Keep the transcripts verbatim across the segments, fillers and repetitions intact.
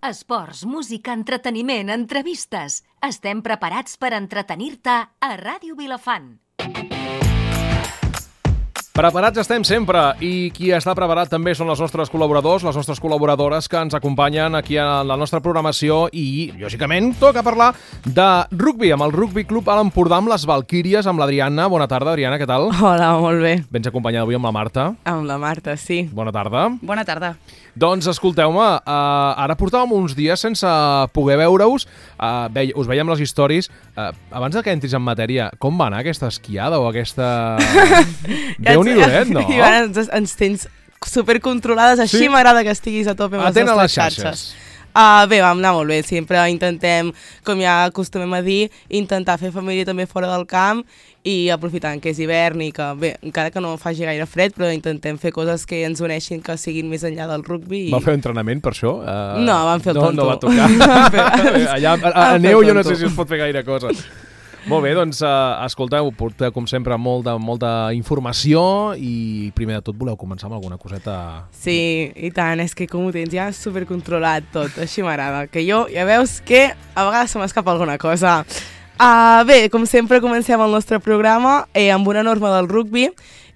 Esports, música, entreteniment, entrevistes. Estem preparats per entretenir-te a Ràdio Vilafant. Preparats estem sempre, i qui està preparat també són els nostres col·laboradors, les nostres col·laboradores que ens acompanyen aquí a la nostra programació i, lògicament, toca parlar de rugby, amb el Rugby Club a l'Empordà, amb les Valquíries, amb l'Adriana. Bona tarda, Adriana, què tal? Hola, molt bé. Vens acompanyada avui amb la Marta. Amb la Marta, sí. Bona tarda. Bona tarda. Doncs escolteu-me, uh, ara portàvem uns dies sense poder veure-us, uh, ve us veiem les històries. Uh, abans de que entris en matèria, com va anar aquesta esquiada o aquesta... Déu-n'hi-do, eh, no? I ara ens, ens tens supercontrolades, així sí? M'agrada que estiguis a tope amb les Atent a nostres les xarxes. xarxes. Uh, bé, vam anar molt bé, sempre intentem, com ja acostumem a dir, intentar fer família també fora del camp i aprofitant que és hivern i que, bé, encara que no faci gaire fred, però intentem fer coses que ens uneixin, que siguin més enllà del rugby. I... Va fer entrenament per això? Uh, no, vam fer el no, tonto. No va tocar. Allà a, a, a neu jo no sé si es pot fer gaire cosa. Molt bé, doncs, uh, escolteu, porteu com sempre molta, molta informació i primer de tot voleu començar amb alguna coseta... Sí, i tant, és que com ho tens ja supercontrolat tot, així m'agrada, que jo ja veus que a vegades se m'escapa alguna cosa. Uh, bé, com sempre comencem el nostre programa eh, amb una norma del rugby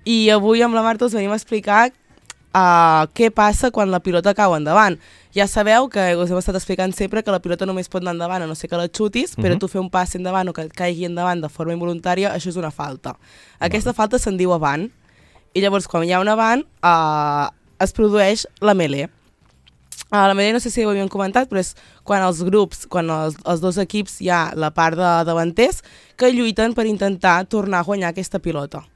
i avui amb la Marta us venim a explicar uh, què passa quan la pilota cau endavant. Ja sabeu que us hem estat explicant sempre que la pilota només pot anar endavant a no ser que la xutis, uh-huh. però tu fer un pas endavant o que et caigui endavant de forma involuntària, això és una falta. Aquesta uh-huh. falta se'n diu avant, i llavors quan hi ha un avant uh, es produeix la mêlée. Uh, la mêlée no sé si ho havíem comentat, però és quan els grups, quan els, els dos equips hi ha la part de davanters que lluiten per intentar tornar a guanyar aquesta pilota.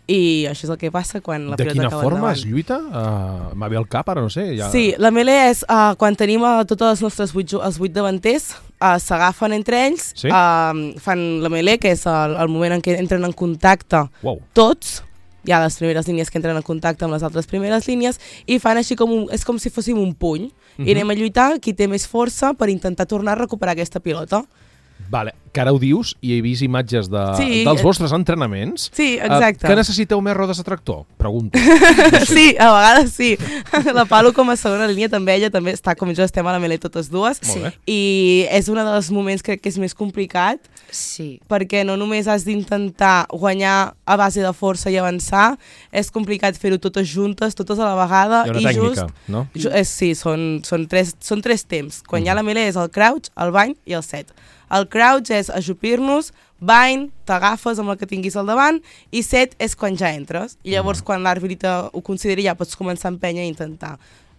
I això és el que passa quan la de pilota cau endavant. De quina forma es lluita? Uh, M'ha ve al cap, ara no sé. Ja... Sí, la mêlée és uh, quan tenim uh, tots els nostres vuit, els vuit davanters, uh, s'agafen entre ells, sí? uh, fan la mêlée, que és el, el moment en què entren en contacte wow. tots, hi ha les primeres línies que entren en contacte amb les altres primeres línies, i fan així com, un, és com si fóssim un puny, uh-huh. i anem a lluitar qui té més força per intentar tornar a recuperar aquesta pilota. Vale, que ara ho dius i he vist imatges de, sí, dels vostres entrenaments. Sí, exacte. Uh, que necessiteu més rodes de tractor? Pregunto. No sé. Sí, a vegades sí. La Palu com a segona línia també, ella també està com jo, estem a la mêlée totes dues. Sí. I és un dels moments crec que és més complicat. Sí. Perquè no només has d'intentar guanyar a base de força i avançar, és complicat fer-ho totes juntes, totes a la vegada. Hi ha una i tècnica, just, no? Ju, és, sí, són, són, tres, són tres temps. Quan mm. hi ha la mêlée és el crouch, el bany i el set. El crouch és ajupir-nos, bany, t'agafes amb el que tinguis al davant, i set és quan ja entres. I llavors, quan l'àrbitre ho consideri, ja pots començar a empènyer i intentar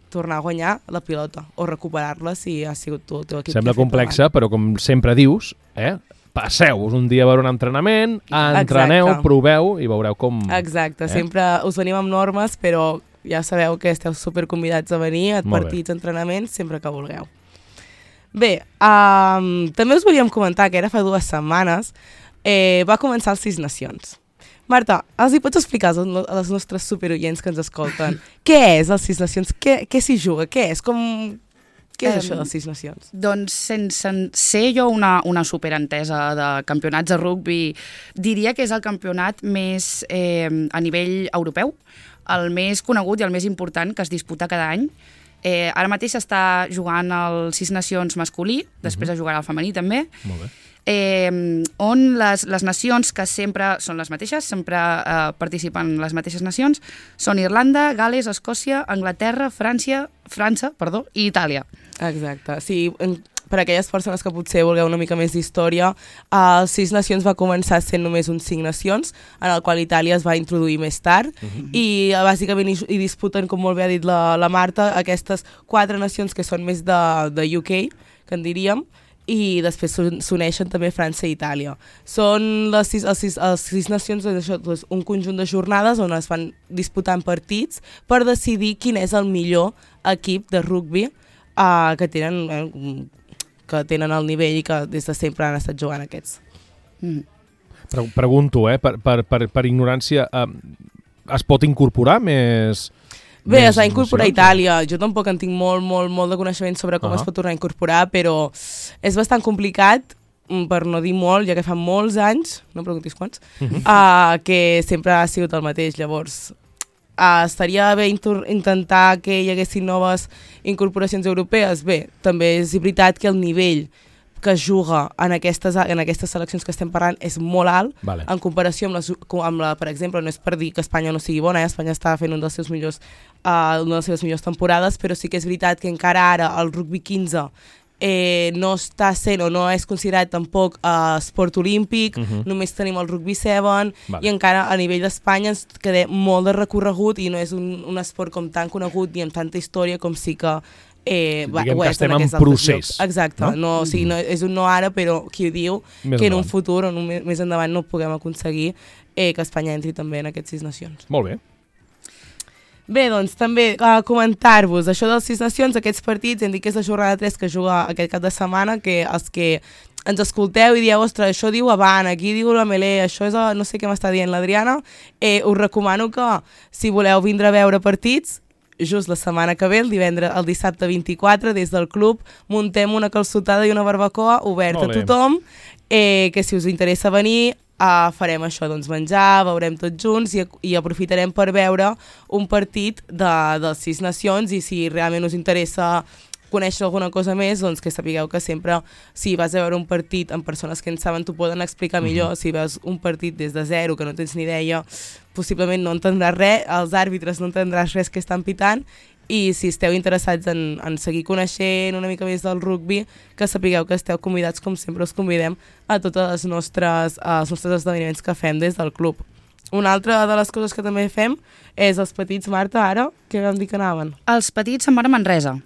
tornar a guanyar la pilota o recuperar-la si ha sigut tu el teu equip. Sembla complexa, però com sempre dius, eh, passeu-vos un dia a veure un entrenament, entreneu, Exacte. proveu i veureu com... Exacte, eh? sempre us venim amb normes, però ja sabeu que esteu superconvidats a venir a partits, entrenaments, sempre que vulgueu. Bé, um, també us volíem comentar que era fa dues setmanes, eh, va començar els Sis Nacions. Marta, els hi pots explicar a les nostres superoients que ens escolten què és els Sis Nacions? Què, què s'hi juga? Què és? Com... Què és um, això dels Sis Nacions? Doncs sense ser jo una, una superentesa de campionats de rugby, diria que és el campionat més eh, a nivell europeu, el més conegut i el més important que es disputa cada any. Eh, ara mateix està jugant el Sis Nacions masculí, després uh-huh. es jugarà el femení també. Molt bé. Eh, on les, les nacions que sempre són les mateixes, sempre eh, participen les mateixes nacions, són Irlanda, Gal·les, Escòcia, Anglaterra, França, França perdó, i Itàlia. Exacte, sí, per a aquelles persones que potser vulgueu una mica més d'història, els Sis Nacions va començar sent només uns Cinc Nacions, en el qual Itàlia es va introduir més tard, uh-huh. i bàsicament hi, hi disputen, com molt bé ha dit la, la Marta, aquestes quatre nacions que són més de, de U K, que en diríem, i després s'uneixen també França i Itàlia. Són les sis, els sis, els sis nacions això, doncs, un conjunt de jornades on es van disputant partits per decidir quin és el millor equip de rugby uh, que tenen eh, que tenen el nivell i que des de sempre han estat jugant aquests. Mm. Pre Pregunto, eh, per, per, per, per ignorància, eh, es pot incorporar més... Bé, es va incorporar a Itàlia. Jo tampoc en tinc molt, molt, molt de coneixement sobre com uh-huh. es pot tornar a incorporar, però és bastant complicat, per no dir molt, ja que fa molts anys, no em preguntis quants, uh-huh. uh, que sempre ha sigut el mateix. Llavors, uh, estaria bé intentar que hi haguessin noves incorporacions europees. Bé, també és veritat que el nivell que es juga en aquestes, en aquestes seleccions que estem parlant és molt alt, vale. En comparació amb, les, amb la, per exemple, no és per dir que Espanya no sigui bona, eh? Espanya està fent un dels seus millors, uh, una de les seves millors temporades, però sí que és veritat que encara ara el rugby quinze eh, no està sent o no és considerat tampoc uh, esport olímpic, uh -huh. només tenim el rugby set, vale. I encara a nivell d'Espanya ens queda molt de recorregut i no és un, un esport com tan conegut ni amb tanta història com sí que Eh, va, diguem que estem en, en procés. Exacte, no? No, o sigui, no, és un no ara, però qui ho diu més que en un futur o més, més endavant no puguem aconseguir eh, que Espanya entri també en aquests Sis Nacions. Molt bé. Bé, doncs també uh, comentar-vos això dels Sis Nacions, aquests partits, hem dit que és la jornada tres que juga aquest cap de setmana, que els que ens escolteu i dieu, ostres, això diu Avant, aquí diu la Melé, això és a, no sé què m'està dient l'Adriana, eh, us recomano que si voleu vindre a veure partits, just la setmana que ve, el divendres, el dissabte vint-i-quatre, des del club, muntem una calçotada i una barbacoa oberta a tothom, eh, que si us interessa venir, eh, farem això, doncs menjar, veurem tots junts i, i aprofitarem per veure un partit de, de Sis Nacions i si realment us interessa conèixer alguna cosa més, doncs que sapigueu que sempre, si vas a veure un partit amb persones que en saben, t'ho poden explicar millor. Mm-hmm. Si veus un partit des de zero, que no tens ni idea, possiblement no entendràs res, els àrbitres no entendràs res que estan pitant, i si esteu interessats en, en seguir coneixent una mica més del rugby, que sapigueu que esteu convidats, com sempre us convidem, a totes les nostres, els nostres esdeveniments que fem des del club. Una altra de les coses que també fem és els petits, Marta, ara, que vam dir que anaven? Els petits se'n van a Manresa.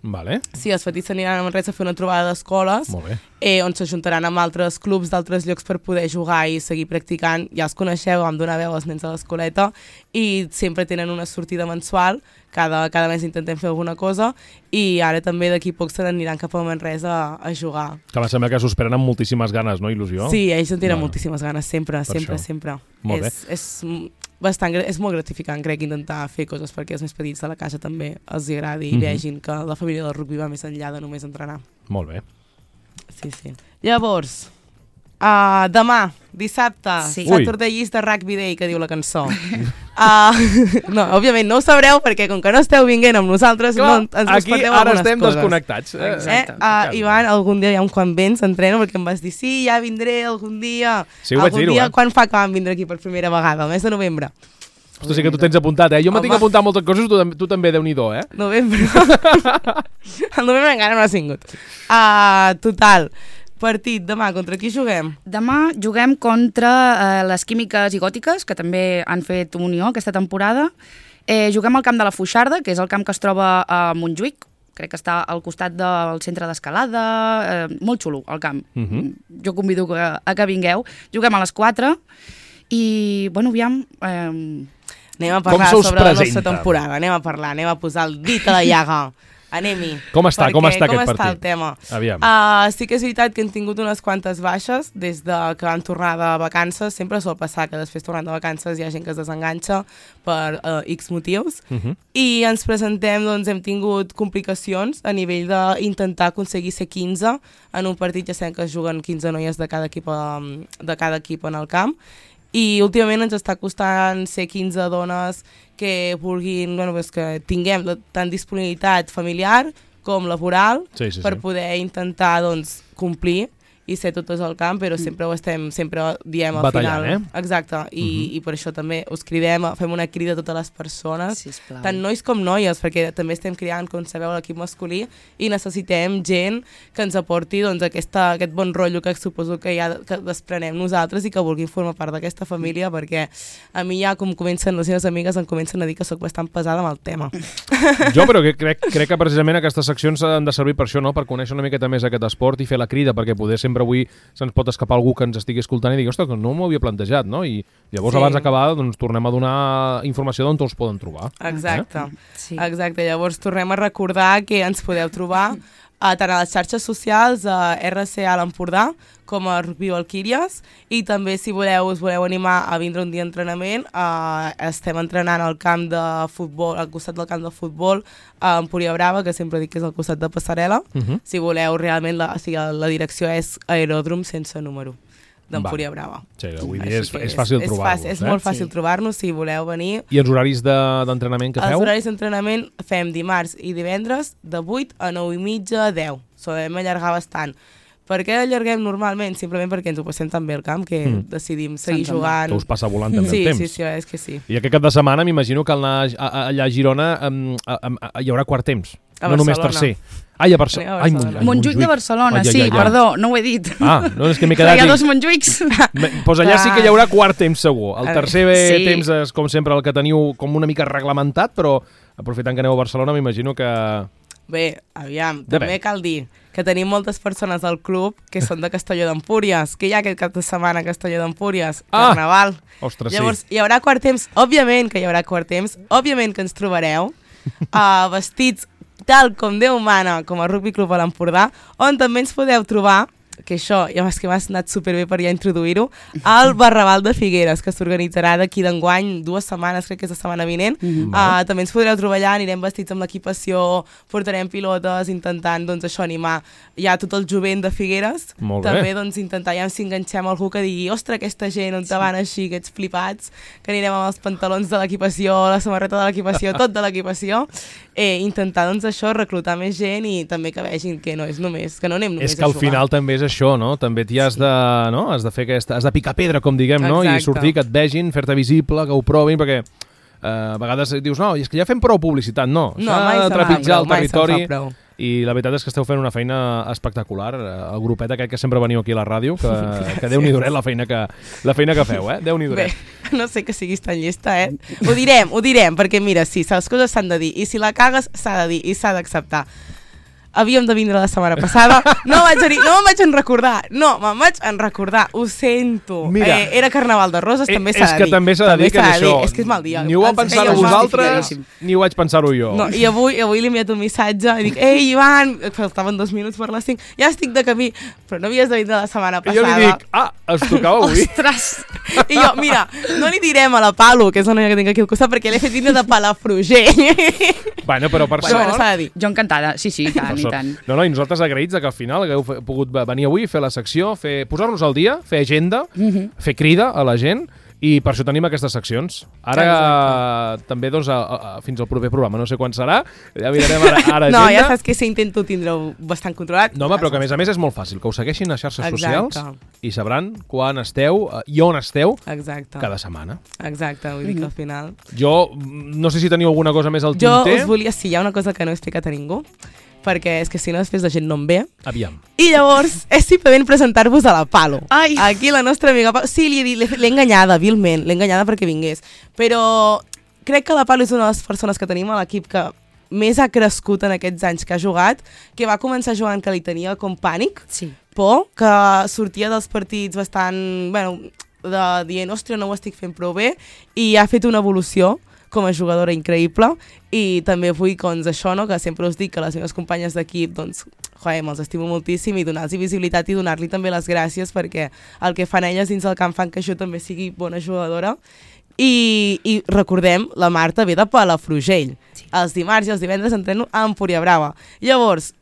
Vale. Sí, els petits s'aniran a Manresa a fer una trobada d'escoles eh, on s'ajuntaran amb altres clubs d'altres llocs per poder jugar i seguir practicant. Ja els coneixeu, vam donar veu als nens a l'escoleta i sempre tenen una sortida mensual, cada, cada mes intentem fer alguna cosa i ara també d'aquí poc se n'aniran cap a Manresa a, a jugar. Que em sembla que s'ho esperen amb moltíssimes ganes, no? Il·lusió? Sí, ells en tenen no. moltíssimes ganes, sempre, per sempre, això. sempre. Molt és, bé. És, bastant, és molt gratificant, crec, intentar fer coses perquè els més petits de la casa també els agradi i mm-hmm. vegin que la família del rugby va més enllà de només entrenar. Molt bé. Sí, sí. Llavors, uh, demà, dissabte, sí. Saturday Llista Rugby Day, que diu la cançó. uh, no, òbviament no ho sabreu perquè com que no esteu vinguent amb nosaltres, clar, no ens aquí respecteu ara algunes estem coses. Desconnectats. Eh? Eh? Uh, Ivan, algun dia ja un quan vens entreno perquè em vas dir sí, ja vindré algun dia. Sí, ho vaig dir-ho, dia, eh? Quan fa que vam vindre aquí per primera vegada? El mes de novembre. Ostres, sí que tu tens apuntat, eh? Jo me tinc apuntat moltes coses, tu, tu també, Déu-n'hi-do, eh? Novembre. El novembre encara no ha sigut. Uh, total. Partit, demà, contra qui juguem? Demà juguem contra eh, les Químiques i Gòtiques, que també han fet unió aquesta temporada. Eh, juguem al camp de la Foixarda, que és el camp que es troba a Montjuïc, crec que està al costat del centre d'escalada, eh, molt xulo el camp. Uh-huh. Jo convido que, a que vingueu. Juguem a les quatre i, bueno, aviam... Eh, anem a parlar sobre la nostra temporada, anem a parlar, anem a posar el dit a la llaga. Anem-hi. Com està, perquè, com està com aquest està partit? El tema? Aviam. Uh, sí que és veritat que hem tingut unes quantes baixes des de que van tornar de vacances. Sempre sol passar que després tornant de vacances hi ha gent que es desenganxa per uh, X motius. Uh-huh. I ens presentem, doncs hem tingut complicacions a nivell d'intentar aconseguir ser quinze en un partit. Ja sabem que es juguen quinze noies de cada equip, de cada equip en el camp. I últimament ens està costant ser quinze dones que vulguin, bueno, pues que tinguem tant disponibilitat familiar com laboral sí, sí, per sí. poder intentar doncs, complir i ser totes al camp, però sempre ho estem, sempre diem al batallant, final. Eh? Exacte, I, uh-huh. i per això també us cridem, fem una crida a totes les persones, sisplau. Tant nois com noies, perquè també estem criant, com sabeu, l'equip masculí, i necessitem gent que ens aporti doncs, aquesta, aquest bon rotllo que suposo que ja que desprenem nosaltres i que vulguin formar part d'aquesta família, perquè a mi ja, com comencen les meves amigues, em comencen a dir que sóc bastant pesada amb el tema. Jo, però que crec, crec que precisament aquestes seccions han de servir per això, no? Per conèixer una miqueta més aquest esport i fer la crida, perquè poder sempre avui se'ns pot escapar algú que ens estigui escoltant i digui, ostres, que no m'ho havia plantejat, no? I llavors sí. Abans d'acabar doncs, tornem a donar informació d'on els poden trobar. Exacte, eh? sí. Exacte. Llavors tornem a recordar que ens podeu trobar a, tant a les xarxes socials, a R C A l'Empordà, com a Rugby Valquíries, i també si voleu, us voleu animar a vindre un dia d'entrenament, eh, estem entrenant al camp de futbol, al costat del camp de futbol, a Empúria Brava, que sempre dic que és al costat de Passarel·la. Uh-huh. Si voleu, realment, la, o sigui, la direcció és aeròdrom sense número. d'Empúria Brava. Sí, vull dir, és, és fàcil és, trobar-los. És, és eh? molt fàcil sí. trobar-nos si voleu venir. I els horaris d'entrenament de, que feu? Els horaris d'entrenament fem dimarts i divendres de vuit a nou i mitja a deu. Solem allargar bastant. Per què allarguem normalment? Simplement perquè ens ho passem tan bé al camp que mm. decidim seguir Sense jugant. Que us passa volant també sí, el temps. Sí, sí, és que sí. I aquest cap de setmana m'imagino que anar a, a, allà a Girona um, a, a, a, hi haurà quart temps. A no Barcelona. només tercer. Ai, a, Barce a Ai, Barcelona. Ai, Montjuïc de Barcelona, ai, ai, sí, ai, ai. perdó, no ho he dit. Ah, no, és que m'he quedat... Hi ha dos Montjuïcs. Doncs pues allà sí que hi haurà quart temps segur. El tercer sí. temps és, com sempre, el que teniu com una mica reglamentat, però aprofitant que aneu a Barcelona m'imagino que... Bé, aviam, De també bé. cal dir que tenim moltes persones al club que són de Castelló d'Empúries, que hi ha aquest cap de setmana a Castelló d'Empúries, Ah! Carnaval. Ostres, Llavors, sí. hi haurà quart temps, òbviament que hi haurà quart temps, òbviament que ens trobareu uh, vestits tal com Déu mana, com a Rugby Club a l'Empordà, on també ens podeu trobar, que això, ja és que m'ha anat superbé per ja introduir-ho, al Barraval de Figueres, que s'organitzarà d'aquí d'enguany, dues setmanes, crec que és la setmana vinent. Mm-hmm. uh, també ens podreu trobar allà, anirem vestits amb l'equipació, portarem pilotes, intentant, doncs, això, animar ja tot el jovent de Figueres. Molt bé. També, doncs, intentar, ja si enganxem algú que digui, ostres, aquesta gent, on te van així, aquests flipats, que anirem amb els pantalons de l'equipació, la samarreta de l'equipació, tot de l'equipació, eh, intentar, doncs, això, reclutar més gent i també que vegin que no és només, que no anem només És que a al jugar. final també és això, no? També t'hi has de, no? Has de fer aquesta, has de picar pedra, com diguem, no? I Exacte. sortir, que et vegin, fer-te visible, que ho provin, perquè eh, a vegades dius, no, i és que ja fem prou publicitat. No, No, s'ha mai de se'n fa trepitjar prou, el mai se'n territori. fa prou. I la veritat és que esteu fent una feina espectacular. El grupet aquest que sempre veniu aquí a la ràdio, que, que Déu-n'hi-do la feina que, la feina que feu, eh? Déu-n'hi-do. Bé, no sé que siguis tan llesta, eh? Ho direm, ho direm, perquè mira, sí, les coses s'han de dir, i si la cagues s'ha de dir, i s'ha d'acceptar. Havíem de vindre la setmana passada, no vaig a dir, no me'n vaig en recordar, no, me'n vaig en recordar, ho sento. Mira, eh, era Carnaval de Roses, eh, també s'ha de dir. És que també s'ha de dir que és això. És que és mal dia. Ni ho vau Ens pensar-ho feia vosaltres, justificadíssim. ni ho vaig pensar-ho jo. No, i avui, avui li he enviat un missatge i dic, ei, Ivan, faltaven dos minuts per les cinc, ja estic de camí, però no havies de vindre la setmana I passada. jo li dic, ah, es tocava avui. Ostres! I jo, mira, no li direm a la Palo, que és la noia que tinc aquí al costat, perquè l'he fet vindre de Palafrugell. Bueno, però per Bueno, sort... bueno, s'ha de dir. Jo encantada, sí, sí, i tant, Per i sort. tant. No, no, i nosaltres agraïts de que al final hagueu fe- pogut venir avui, fer la secció, fer posar-nos al dia, fer agenda, Mhm. fer crida a la gent, i per això tenim aquestes seccions. Ara Exacte. també doncs, a, a, a, fins al proper programa, no sé quan serà, ja mirarem ara, ara No, agenda. ja saps que si intento tindre-ho bastant controlat. No, home, però que a més a més és molt fàcil, que us segueixin a xarxes Exacte. socials i sabran quan esteu eh, i on esteu Exacte. cada setmana. Exacte, vull dir que al final... Jo mm, no sé si teniu alguna cosa més al Jo tinter. us volia, si hi ha una cosa que no he explicat a ningú, perquè és que si no després la gent no em ve. Aviam. I llavors és simplement presentar-vos a la Palo. Ai. Aquí la nostra amiga Palo. Sí, li he dit, l'he l'he enganyada, vilment, l'he enganyada perquè vingués. Però crec que la Palo és una de les persones que tenim a l'equip que més ha crescut en aquests anys que ha jugat, que va començar jugant que li tenia com pànic, Sí. por, que sortia dels partits bastant, bueno, de dient, ostres, no ho estic fent prou bé, i ha fet una evolució com a jugadora increïble, i també vull, doncs, això, no?, que sempre us dic que les meves companyes d'equip, doncs, joder, me'ls estimo moltíssim, i donar-los visibilitat i donar-li també les gràcies, perquè el que fan elles dins el camp fan que jo també sigui bona jugadora. I, i recordem, la Marta ve de Palafrugell. Sí. Els dimarts i els divendres entreno a Empúria Brava. Llavors,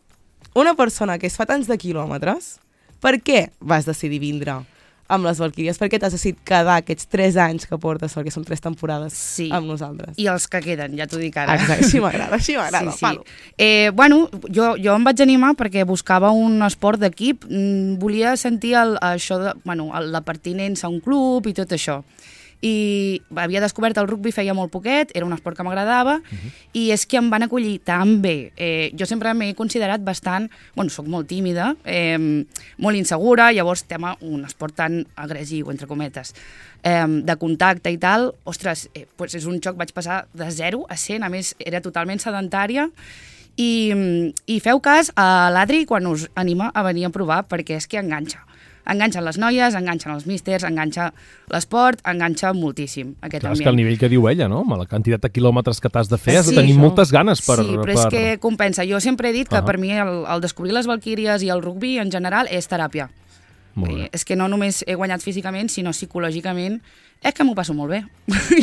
una persona que es fa tants de quilòmetres, per què vas decidir vindre amb les Valquíries? Per què t'has decidit quedar aquests tres anys que portes, perquè són tres temporades Sí. amb nosaltres? I els que queden, ja t'ho dic ara. Exacte, així m'agrada, així m'agrada. Sí, sí. Eh, bueno, jo, jo em vaig animar perquè buscava un esport d'equip, mm, volia sentir el, això de, bueno, el, la pertinença a un club i tot això. I havia descobert el rugby feia molt poquet, era un esport que m'agradava, uh-huh. i és que em van acollir tan bé. Eh, jo sempre m'he considerat bastant, bueno, soc molt tímida, eh, molt insegura, llavors tema un esport tan agressiu, entre cometes, eh, de contacte i tal, ostres, eh, pues és un xoc, vaig passar de zero a cent, a més era totalment sedentària, i, i feu cas a l'Adri quan us anima a venir a provar, perquè és que enganxa. Enganxen les noies, enganxen els místers, enganxa l'esport, enganxa moltíssim aquest Clar, és ambient. que el nivell que diu ella, no? Amb la quantitat de quilòmetres que t'has de fer, has de Sí, tenir això. moltes ganes per... Sí, però per... és que compensa. Jo sempre he dit que Ah. per mi el, el descobrir les Valquíries i el rugby en general és teràpia. Eh, és que no només he guanyat físicament, sinó psicològicament, és que m'ho passo molt bé.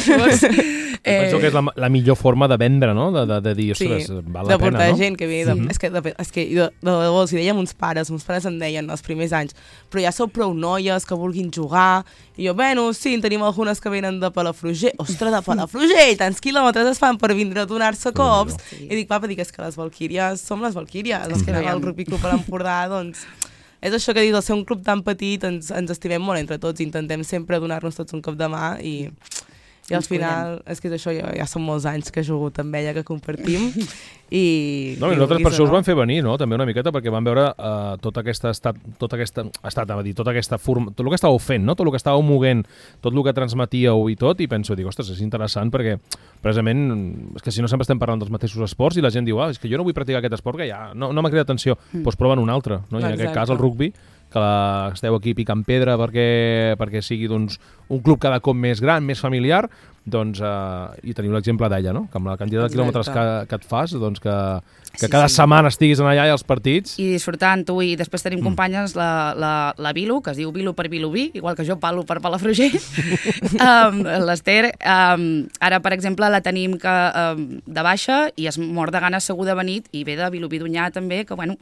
Llavors, eh... Penso que és la, la millor forma de vendre, no? De, de, de dir, ostres, sí, val la pena, no? de portar gent que ve. De, mm-hmm. És que, de, és que de, de, de, els hi dèiem uns pares, uns pares em deien els primers anys, però ja sou prou noies que vulguin jugar. I jo, bueno, sí, en tenim algunes que venen de Palafrugell. Ostres, de Palafrugell! Tants quilòmetres es fan per vindre a donar-se cops. Sí. I dic, papa, dic, és que les Valquíries som les Valquíries. Els que anem al Rugby Club a l'Empordà, doncs... És això que dius, al ser un club tan petit ens, ens estimem molt entre tots, intentem sempre donar-nos tots un cop de mà i, i al final, és que és això, ja, ja són molts anys que he jugat amb ella, que compartim i... No, i nosaltres per això us van fer venir, no? També una miqueta, perquè van veure uh, tota aquesta estat, tota aquesta, estat, a dir, tota aquesta forma, tot el que estàveu fent, no? Tot el que estàveu moguent, tot el que transmetíeu i tot, i penso, dic, ostres, és interessant perquè precisament, és que si no sempre estem parlant dels mateixos esports i la gent diu, ah, és que jo no vull practicar aquest esport, que ja no, no m'ha cridat atenció, mm. doncs proven un altre, no? I en aquest cas el rugby, que la, esteu aquí picant pedra perquè, perquè sigui doncs, un club cada cop més gran, més familiar, doncs, eh, i teniu l'exemple d'ella, no? Que amb la quantitat de quilòmetres que, que et fas, doncs que, que sí, cada sí. setmana estiguis allà i als partits... I disfrutant tu, i després tenim mm. companyes, la, la, la Vilu, que es diu Vilu per Vilubí, igual que jo palo per Palafrugell, um, l'Ester, um, ara, per exemple, la tenim que, um, de baixa i es mor de gana segur de venir, i ve de Vilubí d'Onyar també, que, bueno,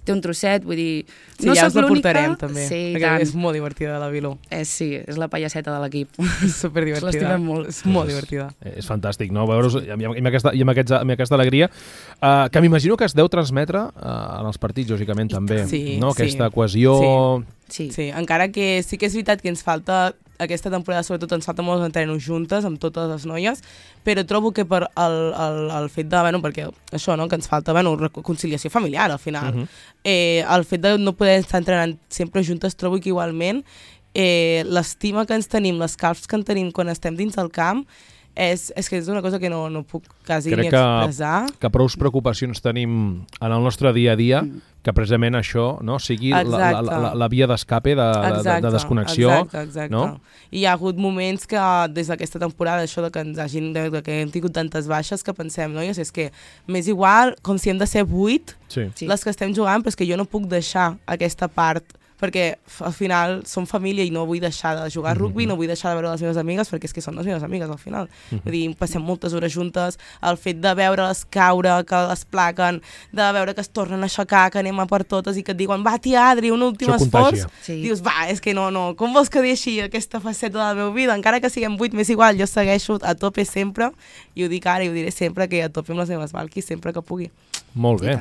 té un trosset, vull dir... Sí, no ja us la l'única... portarem, també, sí, perquè tant. És molt divertida, la Vilú. Eh, sí, és la pallasseta de l'equip. És superdivertida. L'estimem molt. És molt divertida. És, és fantàstic, no? Veure-us i amb, amb, aquesta, i amb, aquests, amb aquesta alegria, uh, que m'imagino que es deu transmetre uh, en els partits, lògicament, també. Sí, no? Aquesta sí. cohesió... Sí. Sí. sí, encara que sí que és veritat que ens falta, aquesta temporada sobretot ens falta molts entrenos juntes amb totes les noies, però trobo que per el, el, el fet de, bueno, perquè això, no?, que ens falta, bueno, conciliació familiar al final, uh -huh. eh, el fet de no poder estar entrenant sempre juntes, trobo que igualment eh, l'estima que ens tenim, les calfs que en tenim quan estem dins del camp, És, és que és una cosa que no, no puc quasi Crec ni expressar. Crec que, que prou preocupacions tenim en el nostre dia a dia, mm. que precisament això no, sigui la, la, la, la via d'escape, de, de, de desconnexió. Exacte, exacte. No? I hi ha hagut moments que des d'aquesta temporada, això de que ens hagin, de, de que hem tingut tantes baixes, que pensem, noies, és que m'és igual com si hem de ser vuit sí. les que estem jugant, però és que jo no puc deixar aquesta part, perquè al final som família i no vull deixar de jugar a rugby, mm-hmm. no vull deixar de veure les meves amigues, perquè és que són les meves amigues al final. Mm-hmm. Vull dir, passem moltes hores juntes, el fet de veure-les caure, que les plaquen, de veure que es tornen a aixecar, que anem a per totes i que et diuen, va tia Adri, un últim esforç. Sí. Dius, va, és que no, no, com vols que deixi aquesta faceta de la meva vida? Encara que siguem vuit, m'és igual, jo segueixo a tope sempre, i ho dic ara i ho diré sempre, que a tope amb les meves Valquis, sempre que pugui. Molt bé.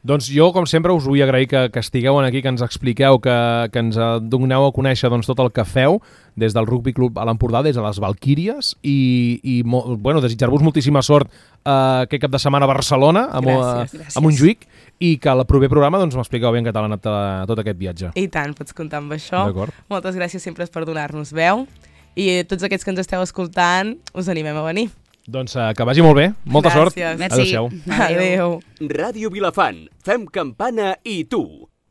Doncs jo, com sempre, us vull agrair que, que estigueu aquí, que ens expliqueu, que, que ens doneu a conèixer doncs, tot el que feu des del Rugby Club a l'Empordà, des de les Valquíries, i, i bueno, desitjar-vos moltíssima sort uh, aquest cap de setmana a Barcelona, amb, gràcies, uh, gràcies. a Montjuïc, i que al proper programa doncs, m'expliqueu bé en català tot, tot aquest viatge. I tant, pots comptar amb això. Moltes gràcies sempre per donar-nos veu, i a tots aquests que ens esteu escoltant, us animem a venir. Doncs uh, que vagi molt bé. Molta Gràcies. sort. Adéu-siau. Adéu. Ràdio Vilafant. Fem campana i tu.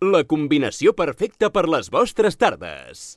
La combinació perfecta per les vostres tardes.